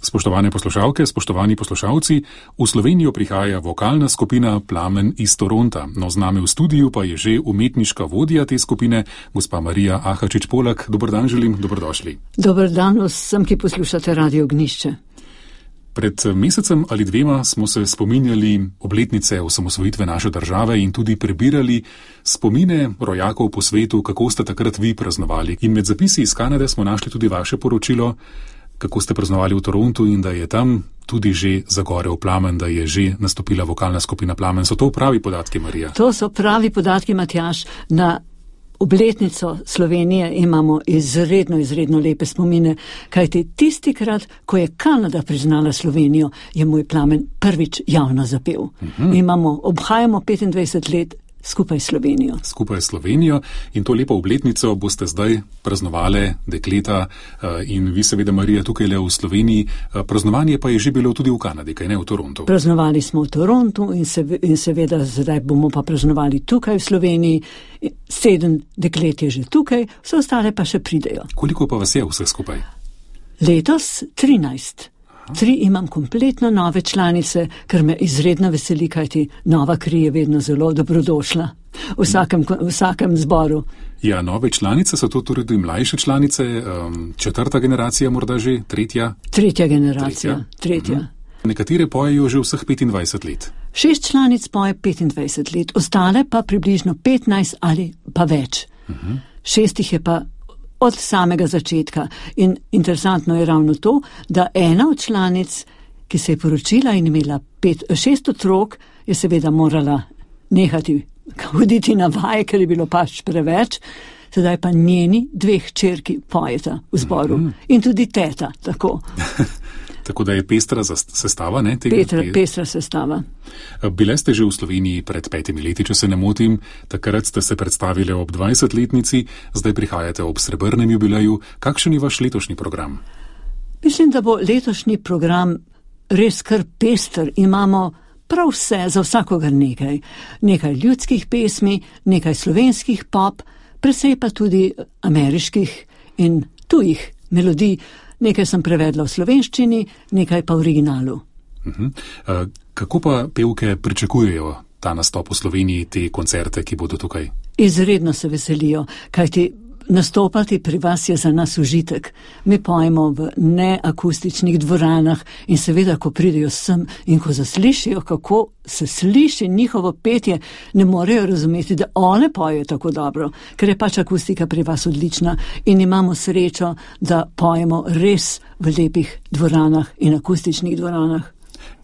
Spoštovane poslušalke, spoštovani poslušalci, v Slovenijo prihaja vokalna skupina Plamen iz Toronta. No, z nami v studiu pa je že umetniška vodja te skupine, gospa Marija Ahačič-Polak. Dober dan želim, dobrodošli. Dober dan vsem, ki poslušate Radio Ognjišče. Pred mesecem ali dvema smo se spominjali obletnice osamosvojitve naše države in tudi prebirali spomine rojakov po svetu, kako ste takrat vi praznovali. In med zapisi iz Kanade smo našli tudi vaše poročilo, kako ste praznovali v Torontu in da je tam tudi že zagorel plamen, da je že nastopila vokalna skupina Plamen. So to pravi podatki, Marija? To so pravi podatki, Matjaž. Na obletnico Slovenije imamo izredno lepe spomine, kajti tistikrat, ko je Kanada priznala Slovenijo, je moj Plamen prvič javno zapel. Obhajamo 25 let skupaj s Slovenijo. Skupaj s Slovenijo in to lepo obletnico boste zdaj praznovali, dekleta, in vi seveda, Marija, tukaj le v Sloveniji. Praznovanje pa je že bilo tudi v Kanadi, kaj ne, v Torontu? Praznovali smo v Torontu in seveda zdaj bomo pa praznovali tukaj v Sloveniji. 7 deklet je že tukaj, vse ostale pa še pridejo. Koliko pa vas je vse skupaj? Letos 13. 3 imam kompletno nove članice, kar me izredno veseli, kajti nova kri je vedno zelo dobrodošla v vsakem zboru. Ja, nove članice so to tudi mlajše članice, 4. generacija morda že, 3. 3. generacija, 3. Nekatere pojejo že vseh 25 let. 6 članic poje 25 let, ostale pa približno 15 ali pa več. 6 jih je pa od samega začetka. In interesantno je ravno to, da ena od članic, ki se je poročila in imela 6 otrok, je seveda morala nehati hoditi na vaje, ker je bilo pač preveč. Sedaj pa njeni 2 hčerki pojeta v zboru. In tudi teta, tako. Tako da je pestra sestava, ne? Pestra sestava. Bile ste že v Sloveniji pred 5 leti, če se ne motim. Takrat ste se predstavili ob 20-letnici, zdaj prihajate ob srebrnem jubileju. Kakšen je vaš letošnji program? Mislim, da bo letošnji program res kar pester. Imamo prav vse, za vsakogar nekaj. Nekaj ljudskih pesmi, nekaj slovenskih pop, precej pa tudi ameriških in tujih melodij. Nekaj sem prevedla v slovenščini, nekaj pa v originalu. Kako pa pevke pričakujejo ta nastop v Sloveniji, te koncerte, ki bodo tukaj? Izredno se veselijo, kajti nastopati pri vas je za nas užitek. Mi pojemo v neakustičnih dvoranah in seveda, ko pridejo sem in ko zaslišijo, kako se sliši njihovo petje, ne morejo razumeti, da one pojejo tako dobro, ker je pač akustika pri vas odlična in imamo srečo, da pojemo res v lepih dvoranah in akustičnih dvoranah.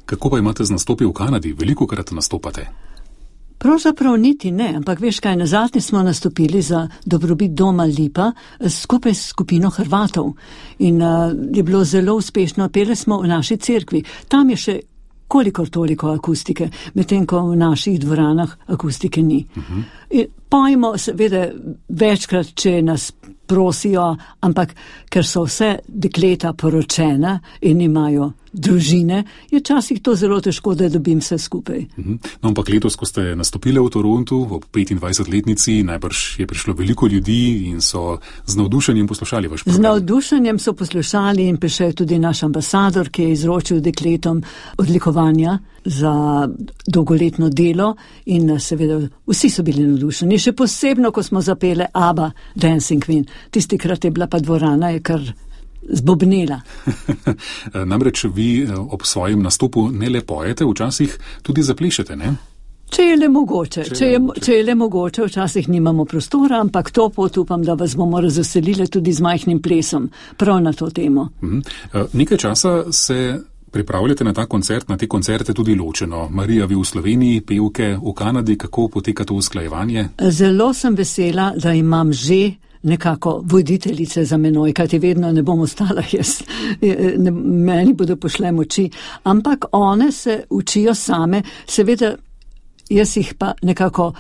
Kako pa imate z nastopi v Kanadi? Velikokrat nastopate? Pravzaprav niti ne, ampak veš kaj, nazadnje smo nastopili za dobrobit doma Lipa skupaj s skupino Hrvatov in je bilo zelo uspešno, peli smo v naši cerkvi. Tam je še kolikor toliko akustike, medtem ko v naših dvoranah akustike ni. Pojmo seveda večkrat, če nas prosijo, ampak ker so vse dekleta poročena in imajo družine, je včasih to zelo težko, da dobim vse skupaj. No, ampak letos, ko ste nastopili v Torontu ob 25-letnici, najbrž je prišlo veliko ljudi in so z navdušenjem poslušali vaš program. Z navdušenjem so poslušali in prišel tudi naš ambasador, ki je izročil dekletom odlikovanja za dolgoletno delo in seveda vsi so bili navdušeni. Še posebno, ko smo zapele ABBA Dancing Queen. Tistikrat je bila pa dvorana, je kar zbobnela. Namreč vi ob svojem nastopu ne le pojete, včasih tudi zaplešete, ne? Če je le mogoče. Če je le mogoče, včasih nimamo prostora, ampak to pot upam, da vas bomo razveselili tudi z majhnim plesom, prav na to temo. Nekaj časa se pripravljate na ta koncert, na te koncerte tudi ločeno. Marija, vi v Sloveniji, pevke v Kanadi, kako poteka to usklajevanje? Zelo sem vesela, da imam že nekako voditeljice za menoj, kajti vedno ne bom ostala jaz, meni bodo pošle moči, ampak one se učijo same, seveda jaz jih pa nekako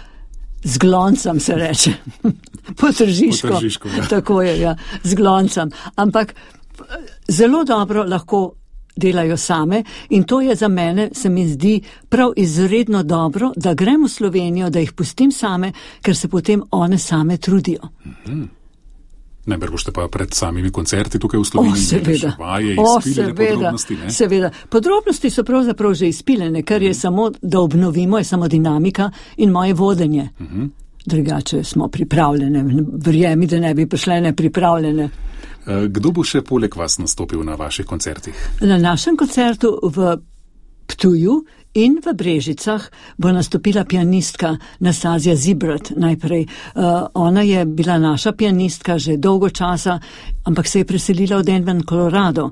zgloncam, se reče, potržiško, ja. Tako je, ja, zgloncam, ampak zelo dobro lahko delajo same in to je za mene, se mi zdi prav izredno dobro, da grem v Slovenijo, da jih pustim same, ker se potem one same trudijo. Najbrž boste pa pred samimi koncerti tukaj v Sloveniji seveda. Vaje izpilene podrobnosti, ne? Seveda. Podrobnosti so pravzaprav že izpilene, kar je samo, da obnovimo, je samo dinamika in moje vodenje. Drugače smo pripravljene, verjemi, da ne bi prišle nepripravljene. Kdo bo še poleg vas nastopil na vaših koncertih? Na našem koncertu v Ptuju in v Brežicah bo nastopila pianistka Nastazija Zibrat najprej. Ona je bila naša pianistka že dolgo časa, ampak se je preselila v Denver, Colorado.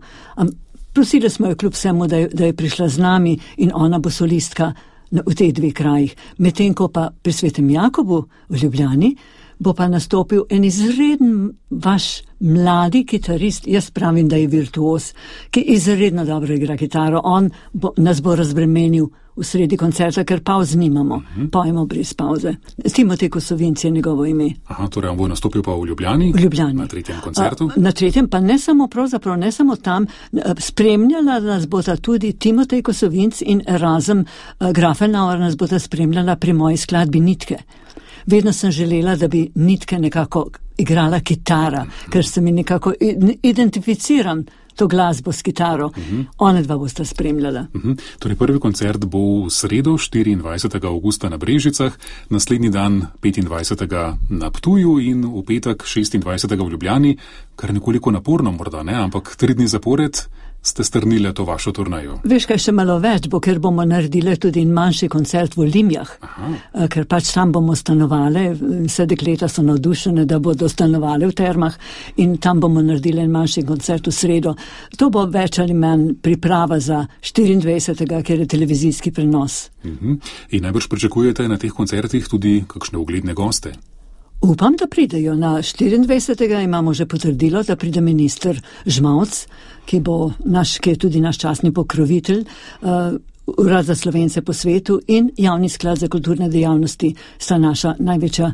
Prosili smo jo kljub vsemu, da je prišla z nami in ona bo solistka v teh dveh krajih. Medtem ko pa pri Svetem Jakobu v Ljubljani bo pa nastopil en izreden vaš mladi kitarist, jaz pravim, da je virtuoz, ki izredno dobro igra kitaro. On nas bo razbremenil v sredi koncerta, ker pauz nimamo. Pojmo brez pauze. Timotej Kosovinc je njegovo ime. Aha, torej on bo nastopil pa v Ljubljani? V Ljubljani. Na 3. koncertu? Na 3. pa ne samo tam, spremljala nas bota tudi Timotej Kosovinc in Erasm Grafenauer nas bota spremljala pri moji skladbi Nitke. Vedno sem želela, da bi Nitke nekako igrala kitara, ker se mi nekako identificiram to glasbo s kitaro. One dva bosta spremljala. Torej prvi koncert bo v sredo 24. augusta na Brežicah, naslednji dan 25. na Ptuju in v petek 26. v Ljubljani, kar nekoliko naporno morda, ne? Ampak 3 dni zapored ste strnile to vašo turnejo. Veš, kaj še malo več bo, ker bomo naredili tudi manjši koncert v Limjah, ker pač tam bomo stanovali, vse dekleta so navdušene, da bodo stanovali v termah in tam bomo naredili manjši koncert v sredo. To bo več ali manj priprava za 24. ker je televizijski prenos. In najbrž pričakujete na teh koncertih tudi kakšne ugledne goste? Upam, da pridejo. Na 24. imamo že potrdilo, da pride minister Žmavc, ki je tudi naš častni pokrovitelj, Urad za Slovence po svetu in Javni sklad za kulturne dejavnosti sta naša največja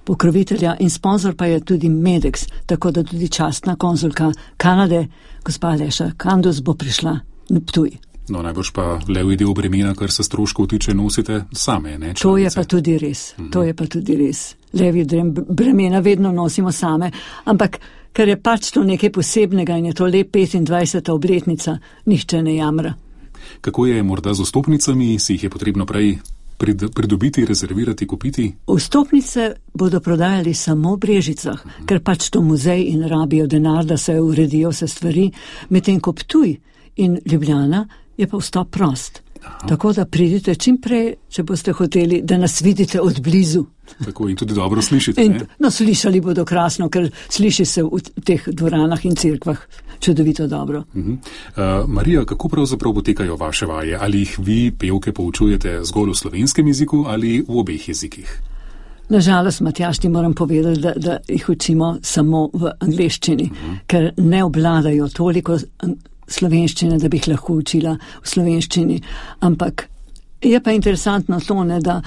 pokrovitelja in sponzor pa je tudi Medex, tako da tudi častna konzulka Kanade, gospa Aleša Kandos, bo prišla na Ptuj. No, najbrž pa levi del bremena, kar se stroškov tiče, nosite same, ne? To je pa tudi res. To je pa tudi res. Levi del bremena vedno nosimo same, ampak ker je pač to nekaj posebnega in je to le 25. obletnica, nihče ne jamra. Kako je morda z vstopnicami, si jih je potrebno prej pridobiti, rezervirati, kupiti? Vstopnice bodo prodajali samo v Brežicah, ker pač to muzej in rabijo denar, da se uredijo vse stvari, medtem ko Ptuj in Ljubljana je pa vstop prost. Tako da pridite čim prej, če boste hoteli, da nas vidite od blizu. Tako in tudi dobro slišite, ne? No, slišali bodo krasno, ker sliši se v teh dvoranah in cerkvah čudovito dobro. Marija, kako pravzaprav potekajo vaše vaje? Ali jih vi, pevke, poučujete zgolj v slovenskem jeziku ali v obeh jezikih? Nažalost, Matjaž, ti moram povedati, da jih učimo samo v angleščini, ker ne obvladajo toliko slovenščine, da bi jih lahko učila v slovenščini. Ampak je pa interesantno to, da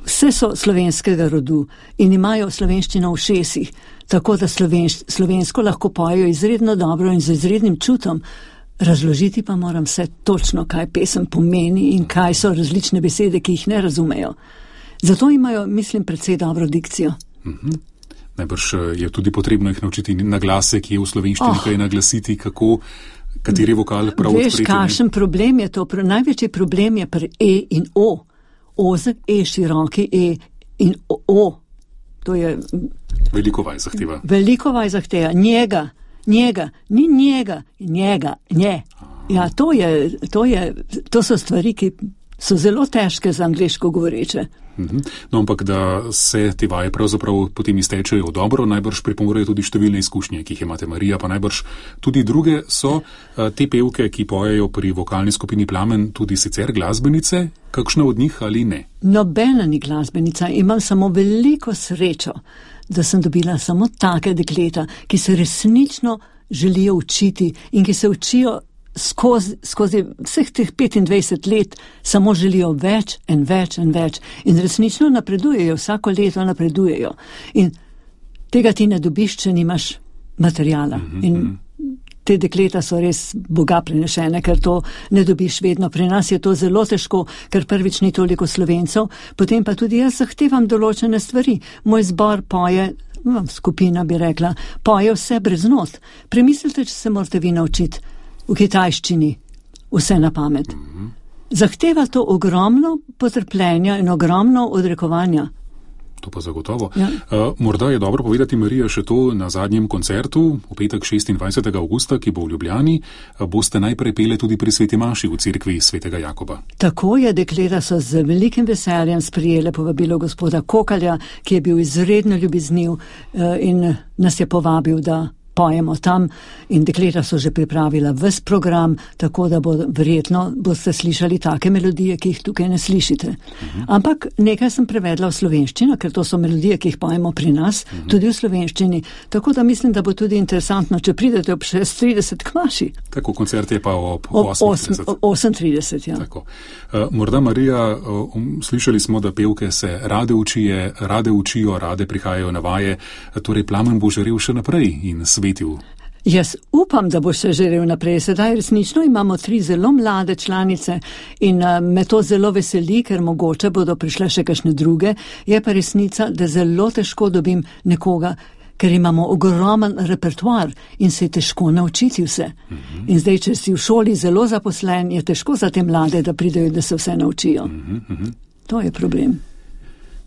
vse so slovenskega rodu in imajo slovenščino v šesih, tako da slovensko lahko pojejo izredno dobro in z izrednim čutom. Razložiti pa moram vse točno, kaj pesem pomeni in kaj so različne besede, ki jih ne razumejo. Zato imajo, mislim, precej dobro dikcijo. Najbrž je tudi potrebno jih naučiti na glase, ki je v slovenščini kaj naglasiti, kateri vokal prav odpreti. Veš, kakšen problem je to? Največji problem je pri E in O. Ozek E, široki E in O. To je... Veliko vaj zahteva. Veliko vaj zahteva. Njega, ni njega, nje. Ja, to so stvari, ki so zelo težke za angleško govoreče. No, ampak da se te vaje pravzaprav potem iztečejo dobro, najbrž pripomorejo tudi številne izkušnje, ki jih imate, Marija, pa najbrž tudi druge so te pevke, ki pojejo pri vokalni skupini Plamen, tudi sicer glasbenice, kakšna od njih ali ne? Nobena ni glasbenica, imam samo veliko srečo, da sem dobila samo take dekleta, ki se resnično želijo učiti in ki se učijo skozi vseh teh 25 let, samo želijo več in več in več. In resnično napredujejo, vsako leto napredujejo. In tega ti ne dobiš, če nimaš materijala. In te dekleta so res Boga prenešene, ker to ne dobiš vedno. Pri nas je to zelo težko, ker prvič ni toliko Slovencev, potem pa tudi jaz zahtevam določene stvari. Moj zbor poje skupina bi rekla, poje vse brez not. Premislite, če se morate vi naučiti v kitajščini vse na pamet. Zahteva to ogromno potrpljenja in ogromno odrekovanja. To pa zagotovo. Ja. Morda je dobro povedati, Marija, še to na zadnjem koncertu, v petek 26. avgusta, ki bo v Ljubljani, boste najprej pele tudi pri Sveti maši v cerkvi Svetega Jakoba. Tako je, dekleta so z velikim veseljem sprijele povabilo gospoda Kokalja, ki je bil izredno ljubezniv in nas je povabil, da pojemo tam, in dekleta so že pripravila ves program, tako da verjetno boste slišali take melodije, ki jih tukaj ne slišite. Ampak nekaj sem prevedla v slovenščino, ker to so melodije, ki jih pojemo pri nas, tudi v slovenščini, tako da mislim, da bo tudi interesantno, če pridete ob 6:30 k maši. Tako, koncert je pa ob 8:30. Ja. Tako. Morda, Marija, slišali smo, da pevke se rade učijo, rade prihajajo na vaje, torej plamen bo žarel še naprej in svetil. Jaz upam, da bo še žarel naprej. Sedaj resnično imamo 3 zelo mlade članice in me to zelo veseli, ker mogoče bodo prišle še kakšne druge. Je pa resnica, da zelo težko dobim nekoga, ker imamo ogromen repertoar in se je težko naučiti vse. In zdaj, če si v šoli zelo zaposlen, je težko za te mlade, da pridejo, da se vse naučijo. To je problem.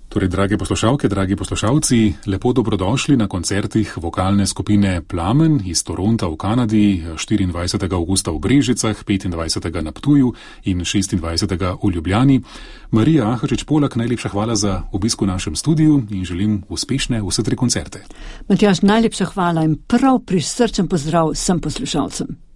Torej, drage poslušalke, dragi poslušalci, lepo dobrodošli na koncertih vokalne skupine Plamen iz Toronta v Kanadi 24. augusta v Brežicah, 25. na Ptuju in 26. v Ljubljani. Marija Ahačič-Polak, najlepša hvala za obisk v našem studiu in želim uspešne vse 3 koncerte. Matjaž, najlepša hvala in prav prisrčen pozdrav vsem poslušalcem.